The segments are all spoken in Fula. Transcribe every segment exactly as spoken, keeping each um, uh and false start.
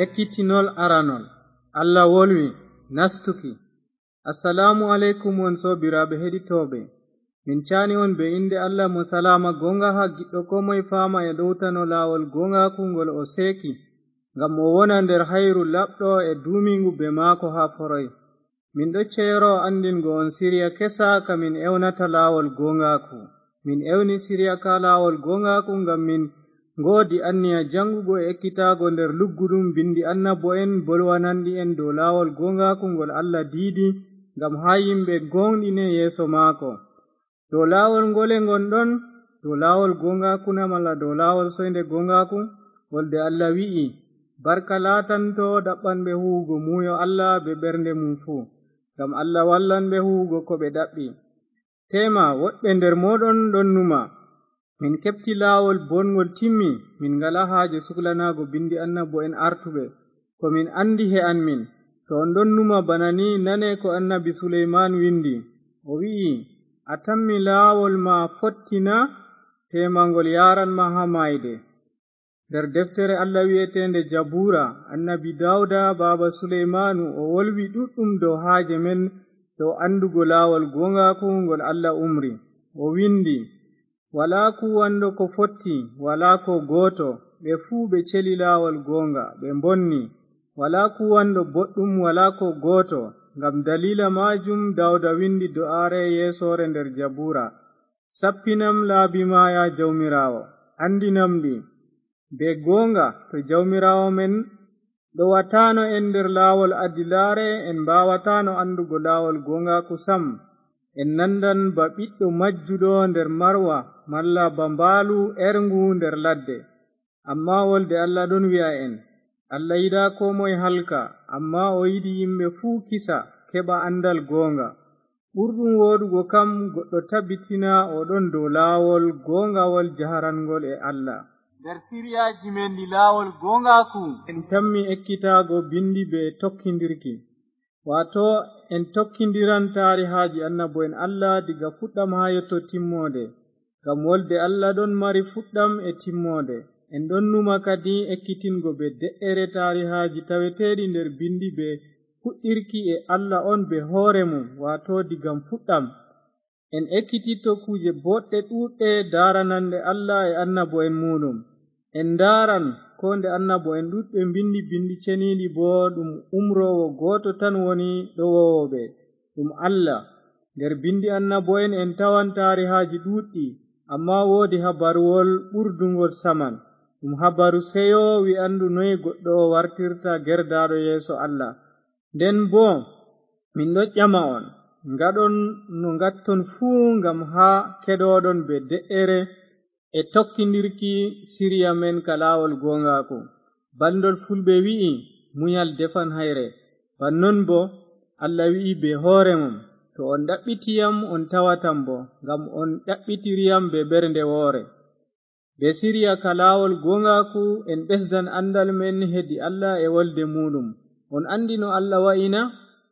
Ekkitinol aranol. Allah wolwi, nastuki. Assalaamu aleykum, on soobiraaɓe heɗitooɓe. Min caani on bee innde Allah mo salaama gooŋgaaha, giɗɗo koo moy faama e ɗowtano laawol gooŋgaaku ngol o seeki, ngam o wona nder hayru laaɓɗo e duumiiŋgu bee maako haa foroy. Min ɗo ceyoro anndingo on siriya kesa ka min ewnata laawol gooŋgaaku. Min ewni siriya ka laawol gooŋgaaku ngam min ngoodi anniya jaŋgugo e ekkitaago nder lugguɗum binndi annabo'en bolwananɗi en dow laawol gooŋgaaku ngol Allah diidi, ngam haa yimɓe gooŋɗine yeeso maako. Dow laawol ngole ngonɗon? Dow laawol gooŋgaaku na malla dow laawol soynde gooŋgaaku? Wolde Allah wi'i, "Barka laatanto ɗaɓɓanɓe huuwugo muuyo Allah bee ɓernde mum fuu, ngam Allah wallan ɓe huuwugo ko ɓe ɗaɓɓi." Teema, woɗɓe nder mooɗon ɗon numa, "Min keɓti laawol booɗŋgol timmi, min ngalaa haaje suklanaago binndi annabo'en artuɓe. Ko min anndi he'an min." To on ɗon numa bana ni, nane ko annabi Suleymaanu winndi. O wi'i, "A tammi laawol ma fotti na? Teema ngol yaaran ma haa maayde." Nder deftere Allah wi'eteende Jabuura, annabi Daawuda, baaba Suleymaanu, o wolwi ɗuuɗɗum dow haaje men, dow anndugo laawol gooŋgaaku ngol Allah umri. O winndi, "Walaa kuuwanɗo ko fotti, walaa ko gooto, ɓe fuu ɓe celi laawol gooŋga, ɓe mbonni. Walaa kuuwanɗo boɗɗum, walaa ko gooto." Ngam daliila maajum Daawuda winndi do'aare yeesoore nder Jabuura, "Sappinam laabi ma, ya Jawmiraawo, anndinam ɗi." Bee gooŋga, to Jawmiraawo men ɗowataano en nder laawol adilaare, en mbaawataano anndugo laawol gooŋgaaku sam. En nandan ba ɓiɗɗo majjuɗo nder marwa, malla ba mbaalu erŋgu nder ladde. Ammaa wolde Allah ɗon wi'a en, Allah yiɗaa koo moy halka, ammaa o yiɗi yimɓe fuu kisa, keɓa anndal gooŋga. Ɓurɗum wooɗugo kam, goɗɗo tabitina o ɗon dow laawol gooŋgawol jaharangol e Allah. Nder siriyaaji men ɗi laawol gooŋgaaku, en tammi ekkitaago binndi bee tokkindirki. Waato, en tokkindiran taarihaaji annabo'en Allah diga fuɗɗam haa yotto timmoode, ngam wolde Allah ɗon mari fuɗɗam e timmoode. En ɗon numa kadi ekkitingo bee de'ere taarihaaji taweteeɗi nder binndi bee fuɗɗirki e Allah on bee hoore mum, waato diga fuɗɗam. En ekkititto kuuje booɗɗe ɗuuɗɗe daarananɗe Allah e annabo'en muuɗum. En ndaaran koo nde annabo'en ɗuuɗɓe mbinndi binndi ceniiɗi, boo ɗum umroowo gooto tan woni ɗowoowo ɓe, ɗum Allah. Nder binndi annabo'en en tawan taarihaaji ɗuuɗɗi, ammaa woodi habaruwol ɓurdungol saman. Ɗum habaru seyo wi'andu noy goɗɗo wartirta gerdaaɗo yeeso Allah. Nden boo, min ɗon ƴama on, ngaɗon no ngatton fuu ngam haa keɗoɗon bee de'ere e tokkindirki siriya men ka laawol gooŋgaaku. Balndol Fulɓe wi'i, "Munyal defan hayre." Bannon boo, Allah wi'i bee hoore mum, "To on ɗaɓɓiti yam, on tawatam boo, ngam on ɗaɓɓitiri yam bee ɓernde woore." Bee siriya ka laawol gooŋgaaku, en ɓesdan anndal men hedi Allah e wolde muuɗum. On anndi no Allah wa'i na?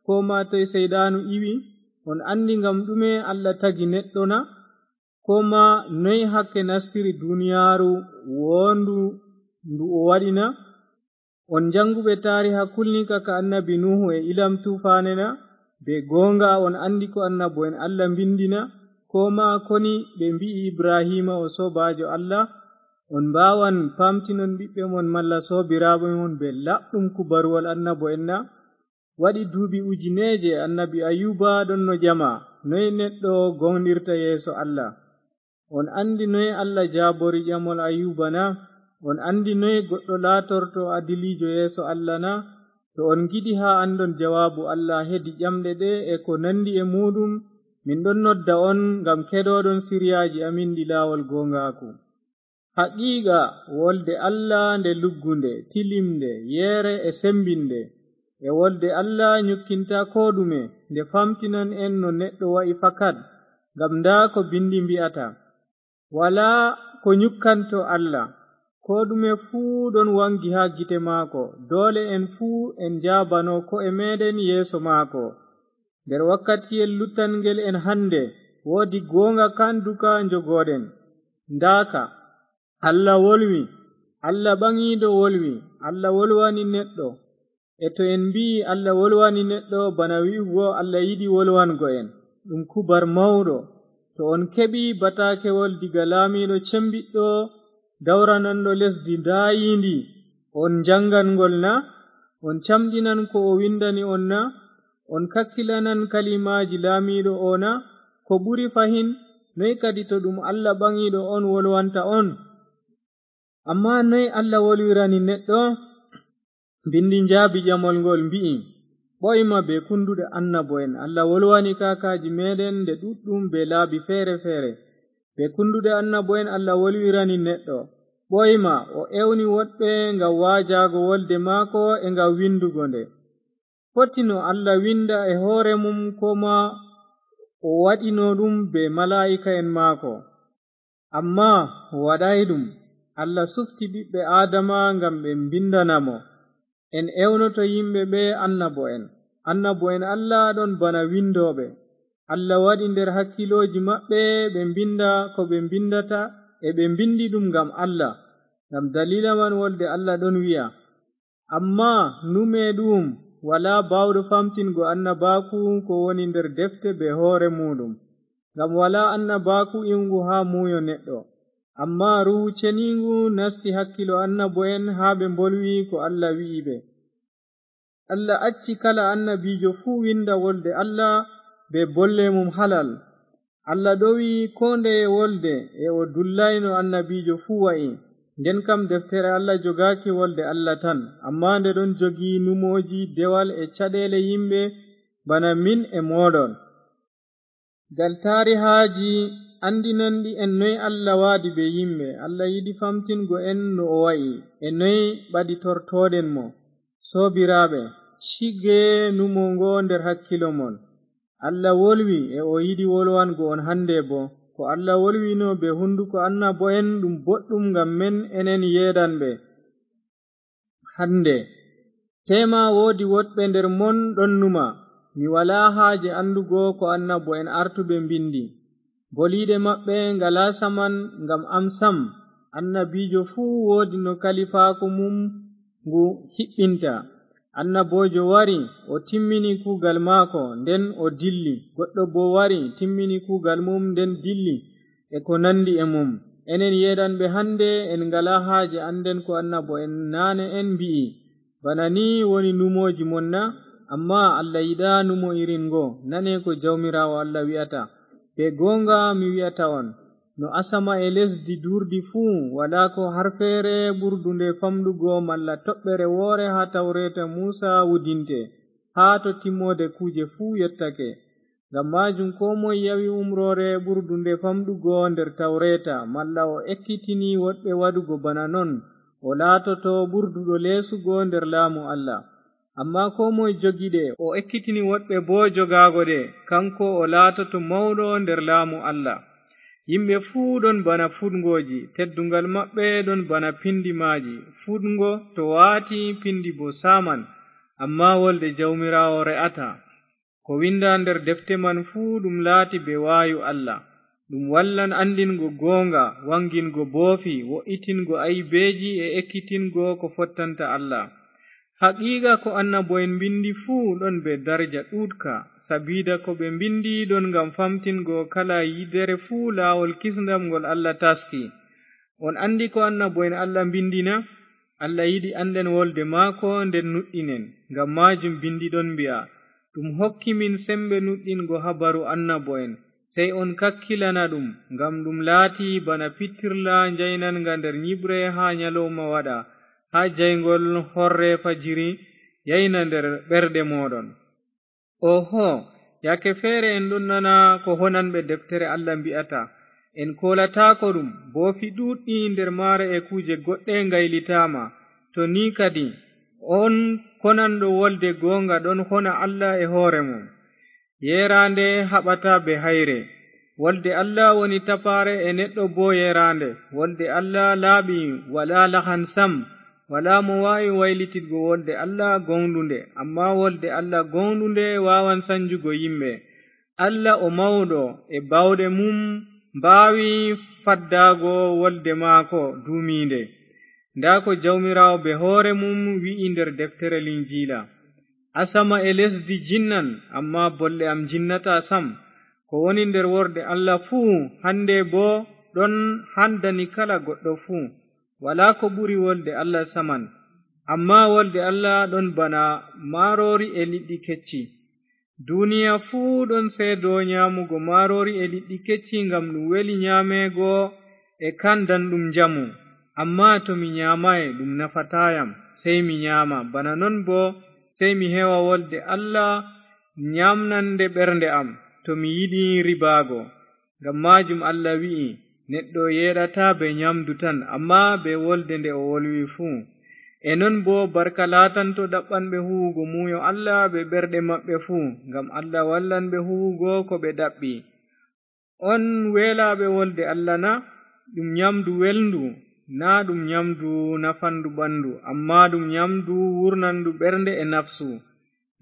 Koo maa toy Seyɗaanu iwi? On anndi ngam ɗume Allah tagi neɗɗo na? Koo maa noy hakke nastiri duniyaaru woondu ndu o waɗi na? On jaŋguɓe taariha kulniika ka annabi Nuuhu e ilam tuufaane na? Bee gooŋga on anndi ko annabo'en Allah mbinndi na? Koo maa koni ɓe mbi'i Ibrahiima o soobaajo Allah? On mbaawan paamtinon ɓiɓɓe mon malla soobiraaɓe mon bee laaɓɗum kubaruwol annabo'en na? Waɗi duuɓi ujineeje annabi Ayuba ɗon no ƴama, noy neɗɗo gooŋɗirta yeeso Allah? On anndi noy Allah jaabori ƴamol Ayuba na? On anndi noy goɗɗo laatorto adiliijo yeeso Allah na? To on ngiɗi haa anndon jawaabu Allah hedi ƴamɗe ɗe e ko nanndi e muuɗum, min ɗon nodda on ngam keɗoɗon siriyaaji amin ɗi laawol gooŋgaaku. Haqiiqa, wolde Allah nde luggunde, tilimnde, yeere e sembinnde. E wolde Allah nyukkinta koo ɗume, nde faamtinan en no neɗɗo wa'i fakat, ngam ndaa ko binndi mbi'ata. Walaa ko nyukkanto Allah. Koo ɗume fuu ɗon waŋgi haa gite maako. Doole en fuu en njaabano ko'e meeɗen yeeso maako. Nder wakkatiyel luttangel en hannde, woodi gooŋga kaanduka njogooɗen. Ndaaka, Allah wolwi, Alla ɓaŋiiɗo wolwi, Alla wolwani neɗɗo. E to en mbi'i Alla wolwani neɗɗo, bana wi'ugo Alla yiɗi wolwango en. Ɗum kubar mawɗo. To on keɓi bataakewol diga laamiiɗo cembiɗɗo, dawrananɗo lesdi ndaayiindi, on njaŋgan ngol na? On camɗinan ko o windani on na? On kakkilanan kalimaaji laamiiɗo o na? Ko ɓuri fahin, noy kadi to ɗum Alla ɓaŋiiɗo on wolwanta on? Ammaa noy Alla wolwirani neɗɗo? Bindi njaabi ƴamol ngol mbi'i, ɓoyma be kunduɗe annabo'en. Alla wolwani kaakaaji meeɗen nde ɗuɗɗum be laabi feere-feere. Be kunduɗe annabo'en Alla wolwirani neɗɗo. Ɓoyma o ewni woɗɓe ngam waajaago wolde maako e ngam windugo nde. Fotino Alla winda e hoore mum, koma o waɗino ɗum be malaa'ika'en maako. Ammaa o waɗaay ɗum. Alla sufti ɓiɓɓe Aadama ngam ɓe mbindana mo. En ewnoto yimɓe ɓe annabo'en. Annabo'en Alla ɗon bana windooɓe. Alla waɗi nder hakkilooji maɓɓe ɓe mbinda ko ɓe mbindata, e ɓe mbindi ɗum ngam Alla. Ngam daliila man wolde Alla ɗon wi'a, ammaa nume ɗu'um, walaa baawɗo famtingo annabaaku ko woni nder defte be hoore muuɗum. Ngam walaa annabaaku iwŋgu haa muuyo neɗɗo. Ammaa Ruuhu Ceniiŋgu nasti hakkilo annabo'en haa ɓe mbolwi ko Alla wi'i ɓe. Alla acci kala annabiijo fuu winda wolde Alla be bolle mum halal. Alla ɗowi koo ndeye wolde e o dullayno annabiijo fuu wa'i. Nden kam deftere Alla jogaaki wolde Alla tan, ammaa nde ɗon jogi numooji, dewal e caɗeele yimɓe bana min e mooɗon. Gal taarihaaji anndinanɗi en noy Alla waadi be yimɓe. Alla yiɗi famtingo en no o wa'i e noy ɓaditortooɗen mo. Soobiraaɓe, cige numo ngo nder hakkilo mon. Alla wolwi e o yiɗi wolwango on hannde boo. Ko Alla wolwino be hunnduko annabo'en ɗum boɗɗum ngam men enen yeedanɓe. Hannde, teema woodi woɗɓe nder mon ɗon numa, mi walaa haaje anndugo ko annabo'en artuɓe mbindi. Boliiɗe maɓɓe ngalaa saman ngam am sam. Annabiijo fuu woodi no kalifaaku mum ngu hiɓɓinta. Annaboojo wari, o timmini kuugal maako, nden o dilli. Goɗɗo boo wari, timmini kuugal mum, nden dilli, e ko nanndi e mum. Enen yeedanɓe hannde, en ngalaa haaje annden ko annabo'en naane en mbi'i. Bana ni woni numooji mon na? Ammaa Alla yiɗaa numo irin ngo. Nane ko Jawmiraawo Alla wi'ata, be gooŋga mi wi'ata on, no asama e lesdi duurdi fuu, walaa ko har feere ɓurdunde famɗugo malla toɓɓere woore haa tawreeta Muusa wudinte, haa to timmoode kuuje fuu yottake. Ngam maajum koo moy yawi umroore ɓurdunde famɗugo nder tawreeta, malla o ekkitini woɗɓe waɗugo bana non, o laatoto ɓurduɗo leesugo nder laamu Alla. Ammaa koo moy jogi ɗe, o ekkitini woɗɓe boo jogaago ɗe, kaŋko o laatoto mawɗo nder laamu Alla. Yimɓe fuu ɗon bana fuɗŋgooji, tedduŋgal maɓɓe ɗon bana pindi maaji. Fuɗŋgo to waati, pindi boo saaman, ammaa wolde Jawmiraawo re'ataa. Ko winda nder defte man fuu ɗum laati be waayu Allah. Ɗum wallan anndingo gooŋga, waŋgingo boofi, wo'itingo aybeeji e ekkitingo ko fottanta Allah. Haqiiqa ko annabo'en mbindi fuu ɗon be darja ɗuuɗka, sabida ko ɓe mbindi ɗon ngam famtingo kala yidere fuu laawol kisndam ngol Allah taski. On anndi ko annabo'en Allah mbindi na? Allah yiɗi annden wolde maako nden nuɗɗinen. Ngam maajum bindi ɗon mbi'a, ɗum hokki min sembe nuɗɗingo habaru annabo'en. Sey on kakkilana ɗum, ngam ɗum laati bana pittirla njaynanga nder nyiɓre haa nyalawma waɗa, haa jayŋgol horre fajiri yayna nder ɓerɗe mooɗon. Oho, yaake feere en ɗon nana ko honanɓe deftere Allah mbi'ata. En koolataako ɗum, boofi ɗuuɗɗi nder maare e kuuje goɗɗe ngaylitaama. To ni kadi, on konanɗo wolde gooŋga ɗon hona Allah e hoore mum. Yeeraande haɓata be hayre. Wolde Allah woni tapaare e neɗɗo boo yeeraande. Wolde Allah laaɓi, walaa lahan sam. Walaa mo waawi waylititgo wolde Allah gooŋɗunde, ammaa wolde Allah gooŋɗunde waawan sanjugo yimɓe. Allah o mawɗo, e baawɗe mum mbaawi faddaago wolde maako duumiinde. Ndaa ko Jawmiraawo bee hoore mum wi'i nder deftere Linjiila: "Asama e lesdi jinnan, ammaa bolle am njinnataa sam. Ko woni nder wolde Allah fuu, hannde boo, ɗon handani kala goɗɗo fuu. Walaa ko ɓuri wolde Allah saman. Ammaa wolde Allah ɗon bana maaroori e liɗɗi kecci. Duniya fuu ɗon seedo nyaamugo maaroori e liɗɗi kecci, ngam ɗum weli nyaameego e kandan ɗum njamu. Ammaa to mi nyaamaay, ɗum nafataa yam, sey mi nyaama. Bana non boo, sey mi hewa wolde Allah nyaamnande ɓernde am, to mi yiɗi ribaago. Ngam maajum Allah wi'i, neɗɗo yeeɗataa bee nyaamdu tan, ammaa bee wolde nde o wolwi fuu. E non boo, barka laatanto ɗaɓɓanɓe huuwugo muuyo Allah bee ɓerɗe maɓɓe fuu, ngam Allah wallan ɓe huuwugo ko ɓe ɗaɓɓi." On weelaaɓe wolde Allah na? Ɗum nyaamdu welndu, naa ɗum nyaamdu nafanndu ɓanndu, ammaa ɗum nyaamdu wurnanndu ɓernde e nafsu.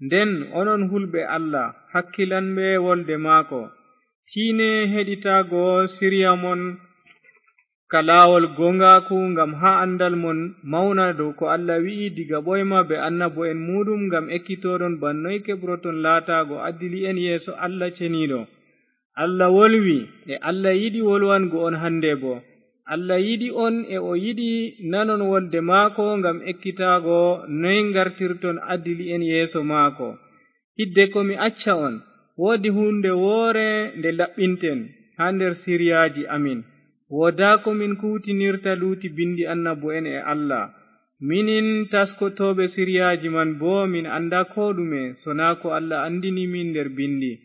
Nden onon hulɓe Allah, hakkilanɓe wolde maako, tiine heɗitaago siriya mon ka laawol gooŋgaaku, ngam haa anndal mon mawna dow ko Allah wi'i diga ɓooyma bee annabo'en muuɗum, ngam ekkitooɗon bana noy keɓroton laataago adili'en yeeso Allah ceniiɗo. Allah wolwi, e Allah yiɗi wolwango on hannde boo. Allah yiɗi on, e o yiɗi nanon wolde maako ngam ekkitaago noy ngartirton adili'en yeeso maako. Hidde ko mi acca on, woodi huunde woore nde laɓɓinten haa nder siriyaaji amin. Woodaa ko min kuutinirta luuti binndi annabo'en e Allah. Minin taskotooɓe siriyaaji man boo, min anndaa koo ɗume, sonaa ko Allah anndini min nder binndi.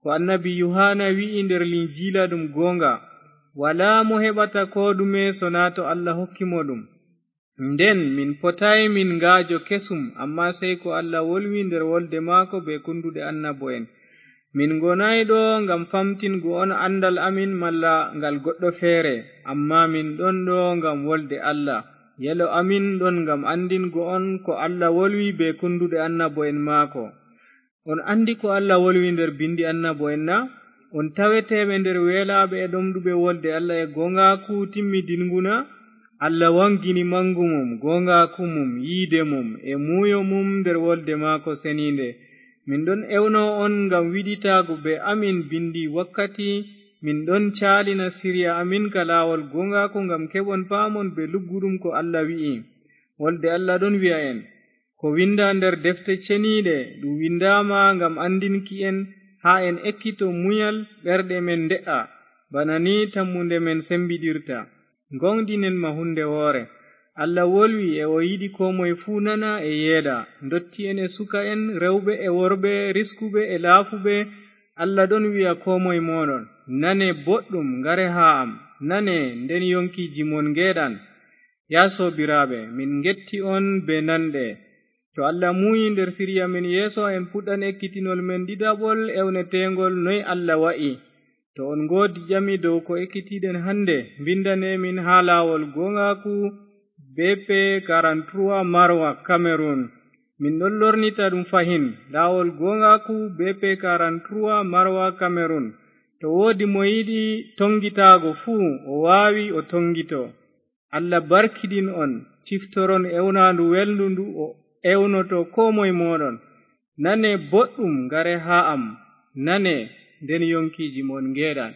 Ko annabi Yuhaana wi'i nder Linjiila ɗum gooŋga, walaa mo heɓata koo ɗume sonaa to Allah hokki mo ɗum. Nden min potaay min ngaajo kesum, ammaa sey ko Allah wolwi nder wolde maako bee kunnduɗe annabo'en. Min ngonaay ɗo ngam famtingo on anndal amin malla ngal goɗɗo feere, ammaa min ɗon ɗo ngam wolde Allah. Yelo amin ɗon ngam anndingo on ko Allah wolwi bee kunnduɗe annabo'en maako. On anndi ko Allah wolwi nder binndi annabo'en na? On taweteeɓe nder weelaaɓe e ɗomɗuɓe wolde Allah e gooŋgaaku timmidiŋgu na? Allah waŋgini maŋgu mum, gooŋgaaku mum, yiide mum, e muuyo mum nder wolde maako seniinde. Min ɗon ewno on ngam wiɗitaago bee amin binndi wakkati min ɗon caalina siriya amin ka laawol gooŋgaaku, ngam keɓon paamon bee lugguɗum ko Allah wi'i. Wolde Allah ɗon wi'a en, ko winnda nder defte ceniiɗe, ɗum winndaama ngam anndinki en, haa en ekkito munyal, ɓerɗe men nde'a, bana ni tammunde men sembiɗirta. Ngoonɗinen ma huunde woore. Allah wolwi, e o yiɗi koo moy fuu nana e yeeɗa, ndotti'en e suka'en, rewɓe e worɓe, riskuɓe e laafuɓe. Allah ɗon wi'a koo moy mooɗon, nane boɗɗum, ngare haa am, nane, nden yoŋkiiji mon ngeeɗan. Yaa soobiraaɓe, min ngetti on bee nanɗe. To Allah muuyi nder siriya men yeeso, en puɗɗan ekkitinol men ɗiɗaɓol ewneteeŋgol noy Allah wa'i. To on ngoodi ƴami dow ko ekkitiɗen hannde, mbindane min haa laawol gooŋgaaku, B P quarante-trois, Marwa, Cameroun. Min ɗon lornita ɗum fahin, laawol gooŋgaaku, B P quarante-trois, Marwa, Cameroun. To woodi mo yiɗi toŋgitaago fuu, o waawi o toŋgito. Allah barkiɗin on, ciftoron ewnaandu welndu ndu o ewnoto koo moy mooɗon. Nane boɗɗum, ngare haa am. Nane, nden yoŋkiiji mon ngeeɗan.